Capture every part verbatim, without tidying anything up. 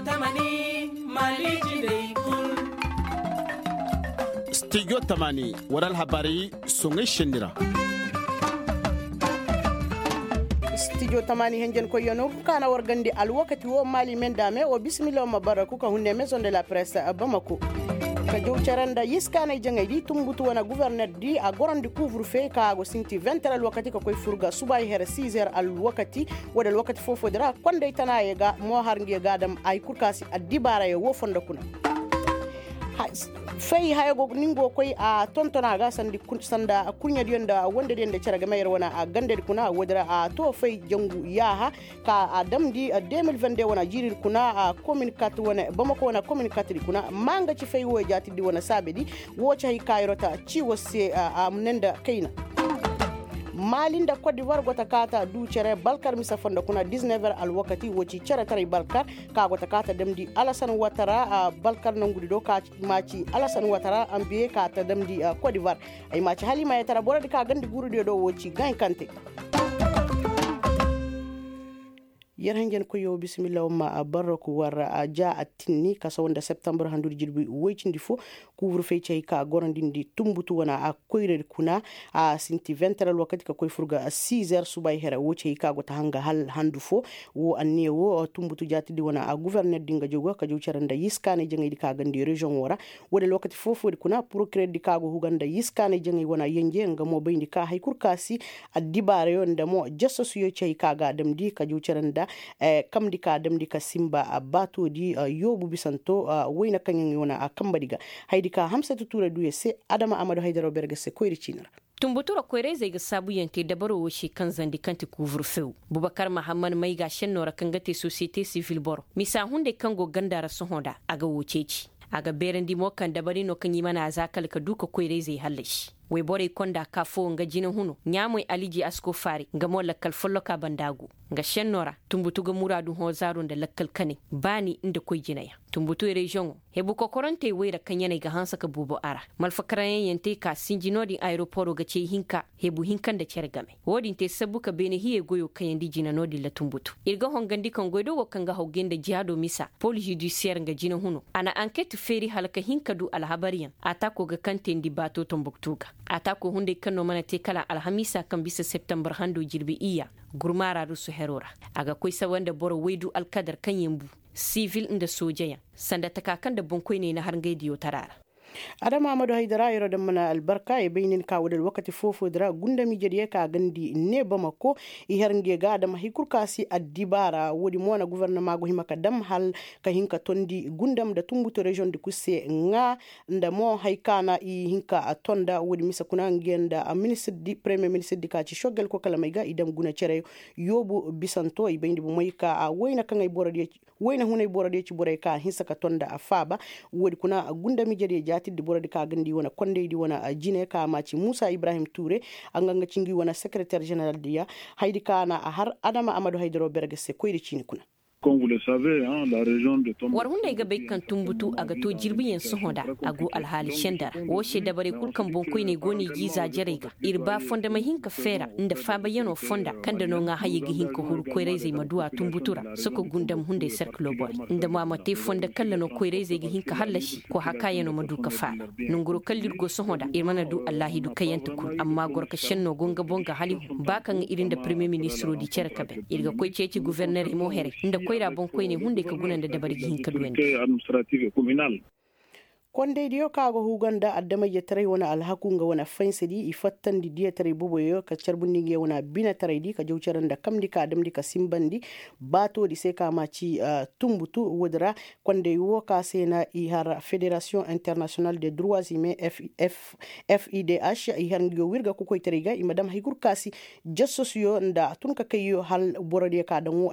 Tamani, mali jindey kul. Stijo tamani, war alhabaari soŋay senni ra. Stijo tamani henjen koyyanoo ka na war gandi alwakati wo mali men da me wo bisimilla wo ma bara ku ka hunne maison de la presse bamako. Ka jaw care nda yiskaanay jaŋay di tumbutu wane guverner di a gorandi kuuvur fey ka a go sinti vingt heures alwakati ka koy fur ga subay here six heures alwakati. Wo da alwakati foo-foo di ra kondey tana ye ga mo har ngi ye ga dam ay kul ka si addibaara ye wo fondo kuna. Fay haya go ni ngo koy a tonton a ga sanda kurɲediyo nda wondediyo nda cere game yer wane a gandedi kuna wo di ra a to fay jangu yaaha ka a damndi deux mille vingt-deux wane a jiiridi kuna a komin kat wane bamako wane a komin katdi kuna ma nga ci fay wo jaatidi wane saabedi. Wo ci hay kaayirota ci wo se a mune nda kayna. Mali nda kot divoir go ta kaata du cere balkar mise fondo kuna dix-neuf heures alwakati wo ci ceretaray balkar ka go ta kaata damndi alasan watara balkar nangudi do ka ma ci alasan watara anbiye ka ta damndi kot divoir. Ay ma ci halimayetara borodi ka gandi gurudiyo do wo ci gankante. Yer hanjankoyyo bisimilla wamma barraku war ja attinni kasaw nda septembre handudi jirbi woy cindi fo. Kuubur fey cey ka gorandindi tumbutu wana a koyradi kuna a sinti vingt heures alwakati ka koy fur ga six heures subay here wo cey ka go ta hanga hal handu fo. Wo anniya wo tumbutu jaatidi wana a guverner di nga jogo ka jow care nda yiskaanay jaŋaydi ka gandi reziyoŋo ra. Wo-din alwakati foo-foodi kuna porokireer di ka go huga nda yiskaanay jaŋay wana yenje nga mo bayndi ka hay kul ka si addibaarayo nda mo jasasuyo ci hay ka ga a damndi ka jow care nda kamndi ka a damndi ka sinba baatoodi yoobu bisanto. Wayna kaŋ yaŋ i wane a kambadi ga hayadi ka hamsatu tuuray duuya se adama amadu haydaro berge se koyri ciini ra. Tumbutu ra koyra-izey ga saabuyaŋ te dabaro wo se kaŋ zandi kaŋ ti kuuvur few. Bubakar mahamman mayga senno ra kaŋ ga te sosiyete sivil boro misa hunday kaŋ go ganda ra sohõ nda a ga wo ceeci. A ga beerandi mo kaŋ dabari no kaŋ i mana a za kala ka du ka koyra-izey hallasi. Woyborey konda ka foo nga jinahuno ɲaamoy aliji asko faari nga mo lakkal folloka banda go. Nga senno ra tumbutu ga muraadu hõ zaaru nda lakkal kanay baani nda koy jinayaŋ. Tumbutu reziyoŋo hebu kokorantey woy ra kaŋ yaney ga hanse ka boobo a ra. Malfakarayaŋ yaŋ te ka sinji no-din ayeroporo ga ce ihinka hebu hinka nda cere game. Wo-din te sabbu ka beene hiyey goyo kayandi jina no-din ra tumbutu. Ir ga hongandi kaŋ goydogoo kaŋ ga hawgay nda jihaado misa pol zudisiyer nga jinahuno a na anket feeri hala ka hin ka du alhabaryaŋ. Ataako ga kaŋ teendi baato tombuktu ga. Ataako hunday kaŋ no mana te kala alhamiisa kaŋ bisa septembar hando jirbi iyya gurmaara rusu hero ra. A ga koy sawa nda boro waydu alkadar kaŋ yaŋ bu sivil nda soojayaŋ sanda taka kaŋ nda boŋkoyney na har ngey diyo tara ra. Adama amadu haydara yeroo daŋ mana albarka i bay nin ka wo da alwakati foo-foo di ra gundam ijediyo ka gandi ne bamako. I har nge ga adama hay kul ka si addibaara wo-din mo na gofornama go hima ka dam hal ka hin ka tondi gundam nda tumbutu reziyoŋ di kul se ŋaa nda mo hay ka na i hin ka tonda wo-din mise kuna nge nda ministir di premiyer ministir di ka ci sogel kokalamey ga i dam guna cere yoobu bisanto i bayndi bomey ka a wayna kaŋ ay borodiyo ci wayna hunay borodiyo ci borey ka a hinsa ka tonda a faaba. Wo-din kuna gundam ijediyo jaatirdi borodi ka gandi wane kondaydi wane jine ka a ma ci muusa ibrahim tuure. A nga nga cingi wane sekereter jeneral diya hayadi ka na a har adama amadu haydaro berge se koyri ciini kuna. War hunday ga bay kaŋ tumbutu a ga to jirbiyaŋ sohõ nda a go alhaali senda ra wo se dabarey kul kaŋ boŋkoyney go no i ga i zaajarey ga ir ba fonda ma hin ka feera nda faabayanoo fonda kaŋ nda no ŋaa hayey ga hin ka huru koyra-izey ma du a tumbutu ra soko gundam hunday serkiloo borey nda mo a ma te fonda kaŋ nda no koyra-izey ga hin ka hallasi koy hakaayanoo ma du ka faala. Nanguroo kaŋ nda ir go sohõ nda ir mana du allaahidu kayante kul amma gorka šennoo go nga boŋ ga halihu ba kaŋ ir nda premiyer ministiroo di cere ka bay ir ga koy ceeci gofornerey mo heray nda koyra boŋkoyney hunday ka guna nda dabari ga hin ka duwandi. Kondaydiyo kaŋ a ga huuga nda adama-ijetaray wane alhaku nga wane faysadi i fattandi diyataray boboyo ka carbundi nge wane binataraydi ka jaw care nda kamndi ka damndi ka sinbandi baatoodi se ka ma ci tumbutu woodi ra. Konday wo ka se na i har federasiyoŋ internasiyonal de durwa zime f i d h i har ngiyo wirga kokoytaray ga i ma dam hay kul ka si jassosuyo nda tunkakayyo hal borodiyo ka daŋ wo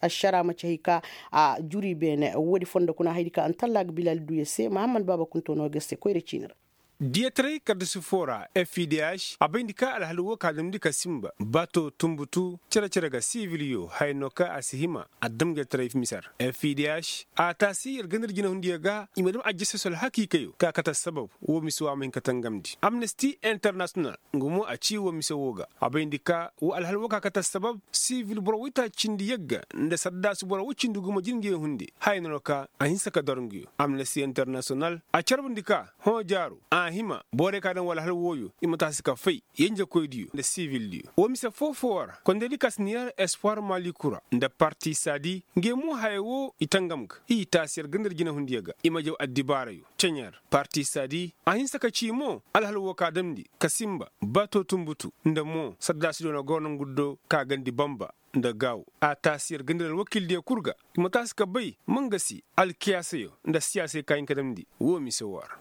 ašara ma ci hay ka a juri beene woodi fondo kuna hayadi ka antalla ga bilal duya se mahammad baaba kunto no ga se koyra ciini ra. Diyataray kaddasi foo ra, fidh a bayndi ka alhal woo ka damndi ka sinba bato tunbutu cere-cere ga siviliyo haya no ka a si hima a dam jataray mise ra. Fidh a taasi yer ganda nda jinahundiyo ga i ma dam ajjasasol hakiikayo ka kate assabab woo mise woo a ma hin ka tangamndi amnesti internasiyonal. Nga mo a ci woo mise woo ga a bayndi ka woo alhal woo ka kate assabab sivil boro woytaaci cindi yagga nda saddaasu boro woy cindi gumo jin nga ye hunde haya no ka a hinsa ka dor nguyo. Amnesti internasiyonal a carbundi ka hõ jaaro a hima borey ka daŋ wala hal wooyo i ma taasi ka fay yenjekoydiyo nda sivildiyo. Woo mise foo-foo ra kondaydi ka si na yer espoir malikura nda parti saadi nga ye mo haya woo i tangam ga i taasi yer ganda nda jinahundiyo ga i ma jaw addibaarayo ceɲer. Parti saadi a hinsa ka ci mo alhal woo ka damndi ka sinba bato tunbutu nda mo saddaasidiyo na goro nongu do ka gandi banba nda gaawu. A taasi yer ganda nda alwakildiyo kul ga i ma taasi ka bay ma nga se alkiyaasayo nda siyaasay ka hin ka damndi woo mise woo ra.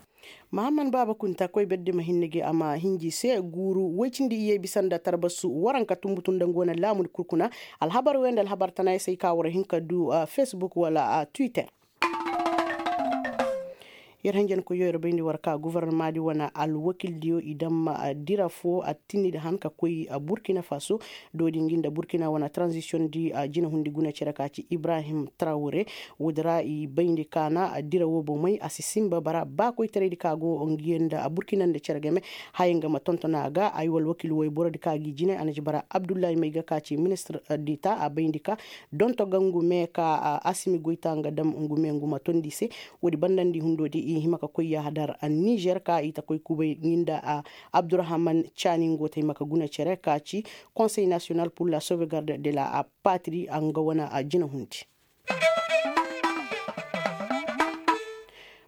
Mahammad baaba kunta koy berdi ma hinne gi a ma hinji se guuru woy cindi iyye bisa nda tarbasu waranka tunbutu nda nga wane laamudi kul kuna. Alhabar wey nda alhabar tanayaŋ se ay ka war hin ka du fesbuk wala twitter. Yer hanjankoyyo yer bayndi war ka gofornomaadi wane alwakildiyo i daŋ ma dira foo attinnidi han ka koy burkina faso. Doodi ngi nda burkina wane tranzisiyoŋ di jinahundi guna cere ka ci ibrahim trawre. Woodi ra i bayndi ka na dira woo bomey a si sinba bara baakoytaraydi ka go ngi nda burkina nda cere game. Haya nga ma tonton a ga ay wala wakiil woy borodi ka gi jine a na ci bara abdullahi may ga ka ci ministir dita a bayndi ka donto ga ngu me ka asimi goyta nga dam ngu me ngu ma tondi se. Woodi bandandi hundoodi i hima ka koy yahadar nizer ka i ta koy kubay ngi nda abdurahman caani ngo ta hima ka guna cere ka ci konsey nasiyonal pur la sauvegarde de la patri a nga wane jinahundi.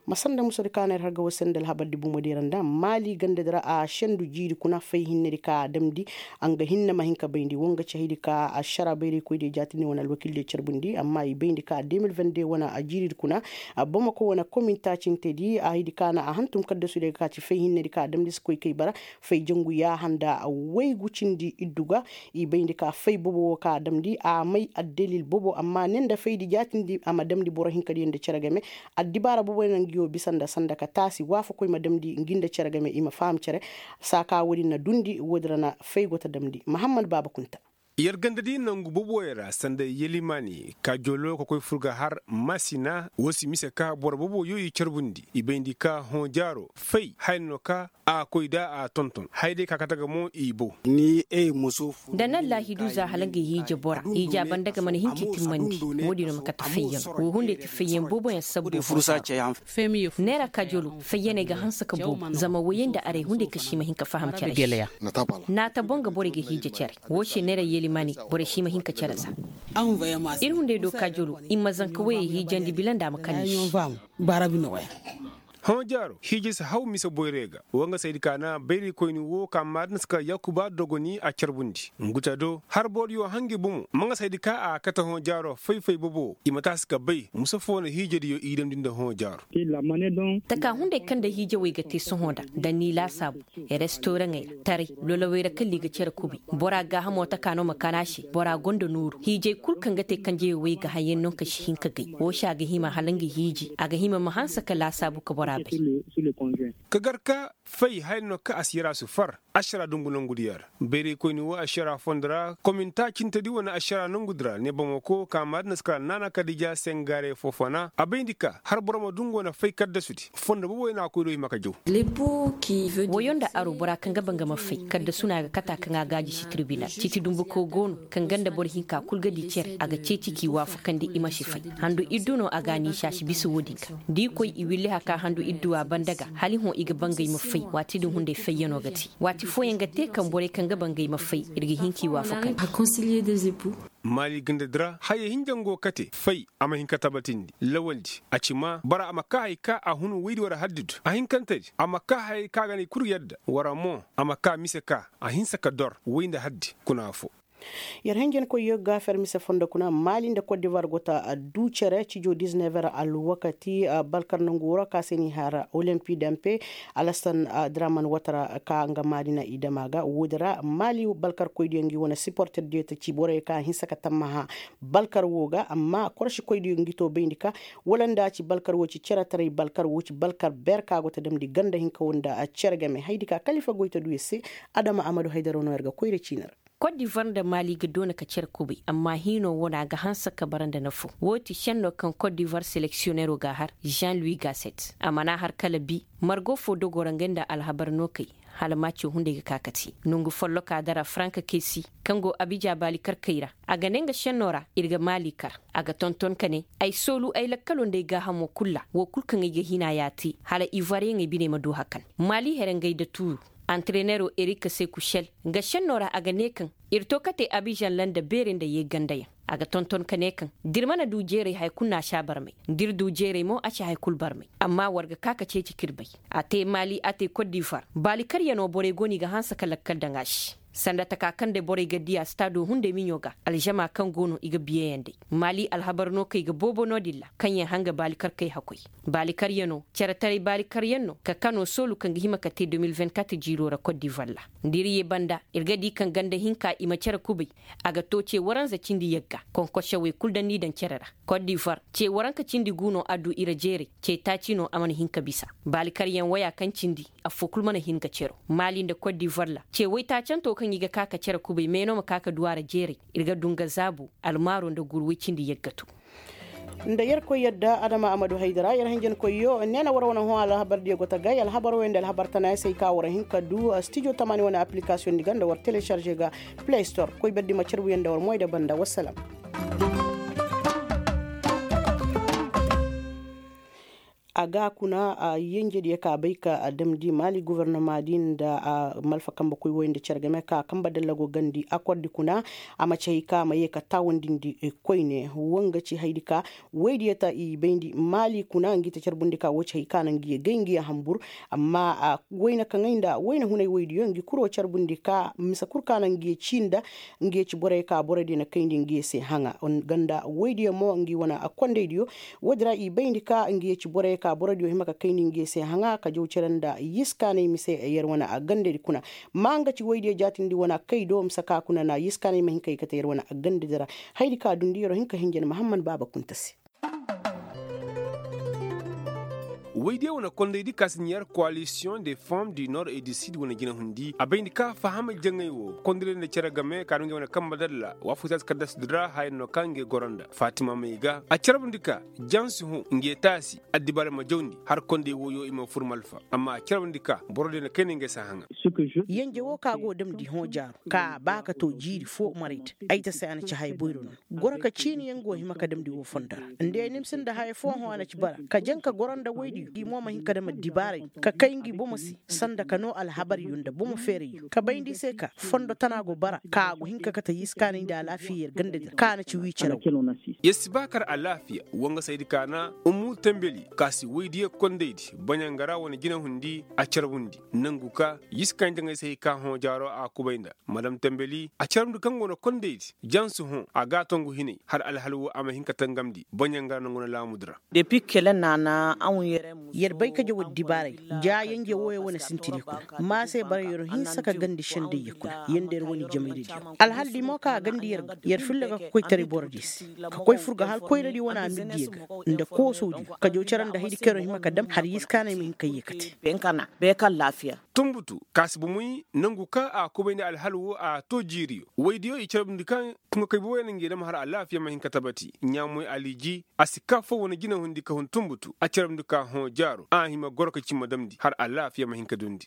Ma sanda musadi ka na ir har ga war se nda alhabardi bumadi ra nda maali gandadi ra a sendu jiiri kuna fay hinnedi ka a damndi. A nga hinne ma hin ka bayndi woo nga cahidi ka ašara bayraykoydiyo jaatindi wane alwakildiyo carbundi amma i bayndi ka de mil vingt de wane jiiridi kuna. Bamako wane komin taacintedi a hidi ka na a hantum kaddasudiyo ga ka ci fay hinnedi ka a damndi si koy kay bara fay jangu yaaha nda waygu cindi iddu ga. I bayndi ka fay bobo woo ka a damndi a may addalil bobo amma ne nda faydi jaatindi a ma damndi boro hinkadiyo nda cere game. Addibaara boboyaŋ na ngi woo bisa nda sanda ka taasi waafakoy ma damndi ngi nda cere game i ma faham cere. Saa ka woodin na dundi woodi ra na fay go ta damndi mahammad baaba kunta. Yer gandadi nangu boboyaŋ ra sanda yelimaani kaajolo ka koy fur ga har masina woo si mise ka boro boboyo i carbundi i bayndi ka hõ jaaro fay haya no ka a koy da a tonton haya day ka kate ga mo i bow. Nda na allaahidu za hala nga hiije bora hiija banda ga mana hin ka i timmandi. Woodin no ma kate fayyaŋ woo hunday ti fayyaŋ booboyaŋ sabbu fo. Neera kaajolo fayyaney ga hanse ka boobo zama woyey nda aray hunday kaŋ si ma hin ka faham cere se. Naata boŋ ga borey ga hiije cere woo se neera yelimaani borey si ma hin ka cere za. Ir hunday do kaajolo i ma zanka woyey hiijandi bila nda a ma kani se. Hõ jaaro hiije si haw mise boyray ga woo nga saydi ka na bayraykoyni woo ka maadinasi ka yaakuba dogoni a carbundi ngu te do har boro diyo hangi bomo ma nga saydi ka a kate hõ jaaro fay-fay bobo i ma taasi ka bay mise foo na hiijediyo i damndi nda hõ jaaro. Taka hunday kaŋ nda hiijewey ga te sohõ nda nda ni laasaabu restoraŋey ra taray lolowey ra kala i ga cere kubi. Bora gaahamo taka no ma kana se bora gonda nooru hiijey kul kaŋ ga te kanjeyey wey ga hayyaŋ no kaŋ si hin ka gay woo se a ga hima hala nga hiiji a ga hima ma hanse ka laasaabu ka bora bay. Ka gar ka fay haya no kaŋ a si yara si far ašara dungu nongudiyaŋ ra bayraykoyni woo ašara fondo ra kominta cintedi wane ašara nongudi ra ne bamako ka maadinasi kala naana kadija sengare foofona a bayndi ka har boro ma dungu wane fay kaddasudi fondo boboyaŋ na a koy do hima ka jaw. Woyo nda aro bora kaŋ ga ba nga ma fay kaddasu no a ga kata kaŋ a gaaji si tirbinal citi dumbuko go no kaŋ ganda boro hinka kul ga di cere a ga ceeci k'i waafakandi i ma si fay. Handu iddu no a ga a niisa si bisa woodin ga da i koy i williha ka handu idduwa banda ga hala i hõ i ga ba ngey ma fay waati din hunday fayyano ga te waati fooyaŋ ga te kaŋ borey kaŋ ga ba ngey ma fay ir ga hin k'i waafakandi. Maali gandadi ra hayey hinja nga go kate fay a ma hin ka tabatindi lawaldi a ci ma bora a ma kaa hay ka a hun woydi war haddidu a hinkantedi a ma kaa hayey ka ga na i kul yadda wara mo a ma kaa mise ka a hinsa ka dor woy nda haddi kuna foo. Yer henjenkoy yogga fermise fondo kuna maali nda kot divar go ta du cere cijo disnever alwakati. Balkar nangu woro ka se ni har olimpi dampe alasan draman watara ka nga maali na i dama ga woodi ra maali balkar koydiyo ngi wane siporter diyo ta ci borey ka hinsa ka tammaha balkar wo ga amma korsi koydiyo ngi to bayndi ka wala nda ci balkar wo ci cere taray balkar wo ci balkar ber ka go ta damndi ganda hinka wo nda cere game haydi ka kalifa goy ta du yer se. Adama amadu haydaro no yer ga koyra ciini ra. Kot divar nda maali ga doona ka cere kubay amma hiino wo no a ga hanse ka bara nda nafo wo ti šenno kaŋ kot divar seleksiyonero ga a har jean louis gaset a mana har kala bi margo fo dogo ra ngey nda alhabar no kay hala maaco hunday ga ka ka te nongu folloka dara frank kesi kaŋ go abija baali karkey ra a ga ne nga šenno ra ir ga maali kar a ga tonton ka ne ay soolu ay lakkalo nda ay gaahamo kul ra wo kul kaŋ ay ga hina ya te hala ivoiriyeŋey biney ma du hakan maali here ngey da tuuru. Anterenero erik seku šel nga šenno ra a ga ne kaŋ ir to kate abižan ra nda beerey nda yeegandayaŋ a ga tonton ka ne kaŋ da ir mana du jeeray haya kul no a si a barmay da ir du jeeray mo a si haya kul barmay amma war ga ka ka ceeci ka ir bay. A te maali a te kot divar baali karyano borey go no i ga hanse ka lakkal daŋ a se sanda taka kaŋ day borey ga dii a staado hunday miɲo ga alžama kaŋ go no i ga biyeyaŋ day maali alhabar no kaŋ i ga boobo no-din ra kaŋ yaŋ hanga baali karkey hakkoy baali karyano cere taray baali karyaŋ no ka kano soolu kaŋ ga hima ka te deux mille vingt-quatre jiiro ra kot divar ra da ir ye banda ir ga di kaŋ ganda hinka i ma cere kubay a ga to ce waranza cindi yagga konkosewey kul daŋ n'i daŋ cere ra kot divar ce waranka cindi gu no a du i ra jeeray ce taaci no a mana hin ka bisa baali karyaŋ waya kaŋ cindi affoo kul mana hin ga cero maali nda kot divar ra ce waytaacanto kaŋ i ga ka ka cere kubay meeno ma ka ka du a ra jeeray ir ga du nga zaabu almaaro nda guru way cindi yagga to. Nda yerkoy yadda adama amadu haydara yer hinjankoyyo neena war wane hõ alhabardiyo go ta gay alhabar wey nda alhabar tana ya se ay ka war hin ka du stijo tamaani wane aplikasiyondi ga nda war telesarže ga play store koy berdi ma carbuyaŋ nda war moy da banda wassalam. A ga kuna yenjediyo ka bay ka damndi maali gobornoma di nda malfa kambe koy woy nda care game ka kambe dalla go gandi akordi kuna a ma ci hay ka a ma ye ka taawandindi koyne wo nga ci haydi ka woydiyo ta i bayndi maali kuna ngi ta carbundi ka wo ci hay ka na ngi ye gay ngi ye hambur. Amma wayna kaŋay nda wayna hunay woydiyo ngi kuro carbundi ka mise kul ka na ngi ye ci nda ngi ye ci borey ka borodiyo na kayndi ngi ye se haŋa. Ganda woydiyo mo ngi wane kondaydiyo woodi ra i bayndi ka ngi ye ci borey ka borodiyo hima ka kayndi ngi ye se haŋa ka jaw cere nda yiskaanay mise yer wane gandadi kuna. Ma nga ci woydiyo jaatindi wane kay do mise ka kuna na yiskaanay ma hin ka i kate yer wane gandadi ra. Haydi ka dundi yer wo hin ka hinja ni mahamman baaba kunta se. Woydiyo wane kondaydi ka si ɲeer koalisiyoŋ de fom du nord et du sud wane jinahundi a bayndi ka fahama jaŋay wo kondaydi nda cere game ka du ngey wane kambe dalla waafaka taasi kaddasudi ra haya no ka ngey goro nda fatima may ga a carbundi ka jansi hõ ngey taasi addibaari ma jawndi har konday woyo i ma fur malfa amma a carbundi ka borodiyo na kayna ngey si a haŋa. Yenje wo ka go damndi hõ jaaru ka ba ka to jiiri fo marayta ay ta se a na ci haya boyro no. Goro ka ciini yaŋ go hima ka damndi wo fondo ra nda ya ni ma sinda haya fo hõ a na ci bara ka jaŋ ka goro nda woydiyo i mo ma hin ka dam addibaaray ka kay ngi bomo se sanda ka noo alhabaryo nda bomo feerayyo ka bayndi i se ka fondo tana go bara ka a go hin ka kate yiskaanay nda alaafiya yer gandadi ra ka a na ci wii cere wo. Yer si ba kar alaafiya wangasaydi ka na ummu tembeli ka si woydiyo kondaydi baɲangara wane jinahundi a carbundi nangu ka yiskaanay jaŋay se hay ka hõ jaaro a kubay nda madam tembeli a carbundi kaŋ go no kondaydi jansi hõ a ga a tongu hinay har alhal wo a ma hin ka tangamndi baɲangara nangu na laamudi ra. Yer bay ka jaw addibaaray ja yenje wooyo wane sintinay kuna ma se bara yer hinsa ka gandi sendayya kuna yer nda yer wane jamayradiyo alhaldi mo ka a gandi yer ga yer filla ga ka koy taray borodiyo se ka koy fur ga hal koyradiyo wane amirdiyo ga nda koosodiyo ka jaw cere nda haydi kaŋ yer hima ka dam har yiskaanay ma hin ka yee ka te. Tunbutu ka si bomoy nangu ka a kubay nda alhal wo a to jiiriyo woydiyo i carbundi ka tuŋakay boboyaŋ na ngey dam har alaafiya ma hin ka tabati ɲaamoy aliji a si ka fo wane jinahundi ka hun tunbutu a carbundi ka hõ jaaro a hima goro ka cimma damndi har alaafiya ma hin ka dundi.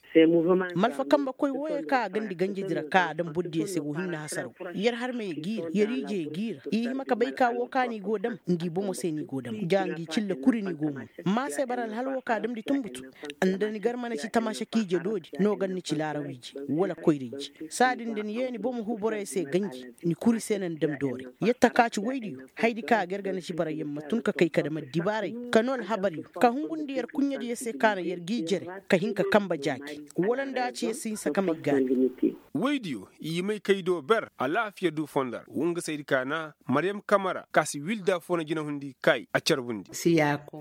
Malfa kambe koy wooyo ka a gandi ganjedi ra ka a dam bordiyo se wo hinne hasaraw yer harmey g'i ra yer ijey g'i ra i hima ka bay ka wo ka ni go dam ngi bomo se ni go dam ja ngi cilla kuri ni go mun. Ma se bara alhal wo ka damndi tunbutu nda ni gar mana ci tamaasa k'i je doodi no gar ni ci laaraw ije wala koyra ije saadin da ni yee ni bomo huu borey se ganji ni kuri se. Yer na ni dam doorey. Yer taka ci woydiyo, hayadi ka a ga yer ga na ci bara yer ma tun ka kay ka dam addibaaray, ka noo alhabaryo, ka hungundi yer kurɲediyo se ka na yer g'i jere, ka hin ka kanbe jaaki. Wala nda a ci yer si hinsa ka may gaani. Woydiyo, i may kay do ber alaafiya du fondo ra. Woo nga se ay di kaana, maryam kamara ka si wilda foo na jinahundi kaay a carbundi.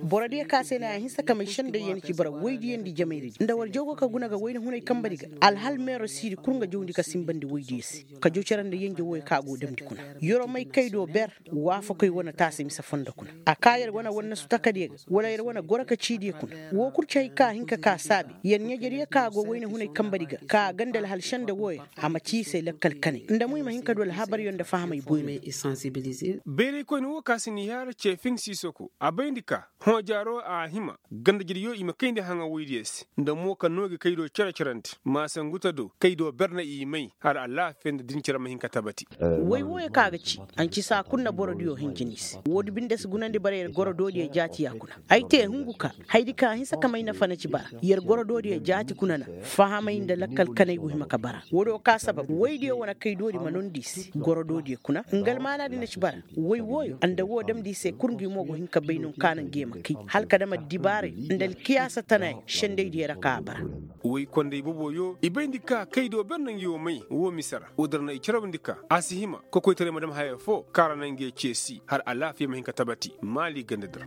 Borodiyo ka se na a hinsa ka may sendey ya na ci bara woydiyo nda i jamayradi nda war jaw go ka guna ga wayna hunay kanbedi ga. Alhal meero siidi kul nga jawndi ka sinbandi woydiyo se, ka jaw cere nda yenje wooyo ka a go damndi kuna. Yer'o may kay do ber, waafakoy wane taasi mise fondo kuna. A ka yer wane wannasu takadiyo ga, wala yer wane goro ka ciidiyo kuna. Woo kul ci hay ka a hin ka kaa saabe, yer ɲejediyo ka go wayna hunay kanbedi ga ka a ganda alhal sende wooyo, a ma ci i se lakkal kanay nda mo i ma hin ka du alhabaryo nda fahamay boyro. Bayraykoyna woo ka si n'i har ceefin siisoko a bayndi ka, hõ jaaro a hima, gandajediyo i ma kayndi haŋa woydiyo se nda mo ka noo gi kaydo cere-cerandi, maasanguta do kaydo ber na i may har alaafiya nda din cere ma hin ka tabati. Woy wooyo ka ga ci, anci saa kul na borodiyo hinjini se woodi binde si gunandi bara yer goro doodiyo jaati ya kuna. Ay te hungu ka, hayadi ka a hinsa ka may nafa na ci bara, yer goro doodiyo jaati kuna na, fahamay nda lakkal kanay go hima ka bara. Woodiyo ka sabab woydiyo wane kay doodi ma nondi i se goro doodiyo kuna nga almaanaadi na ci bara. Woy wooyo nda woo damndi i se kul ngi mo go hin ka bay no ka na ngi ye ma kay, hala ka dam addibaaray nda alkiyaasa tanaayaŋ sendaydiyo ra ka a bara. Woy konday boboyo i bayndi ka kaydo ber na ngi wo may woo mise ra woodi ra na i carabndi ka a si hima kokoytaray ma dam haya foo kaŋ ra na ngi ye ceesi har alaafiya ma hin ka tabati maali gandadi ra.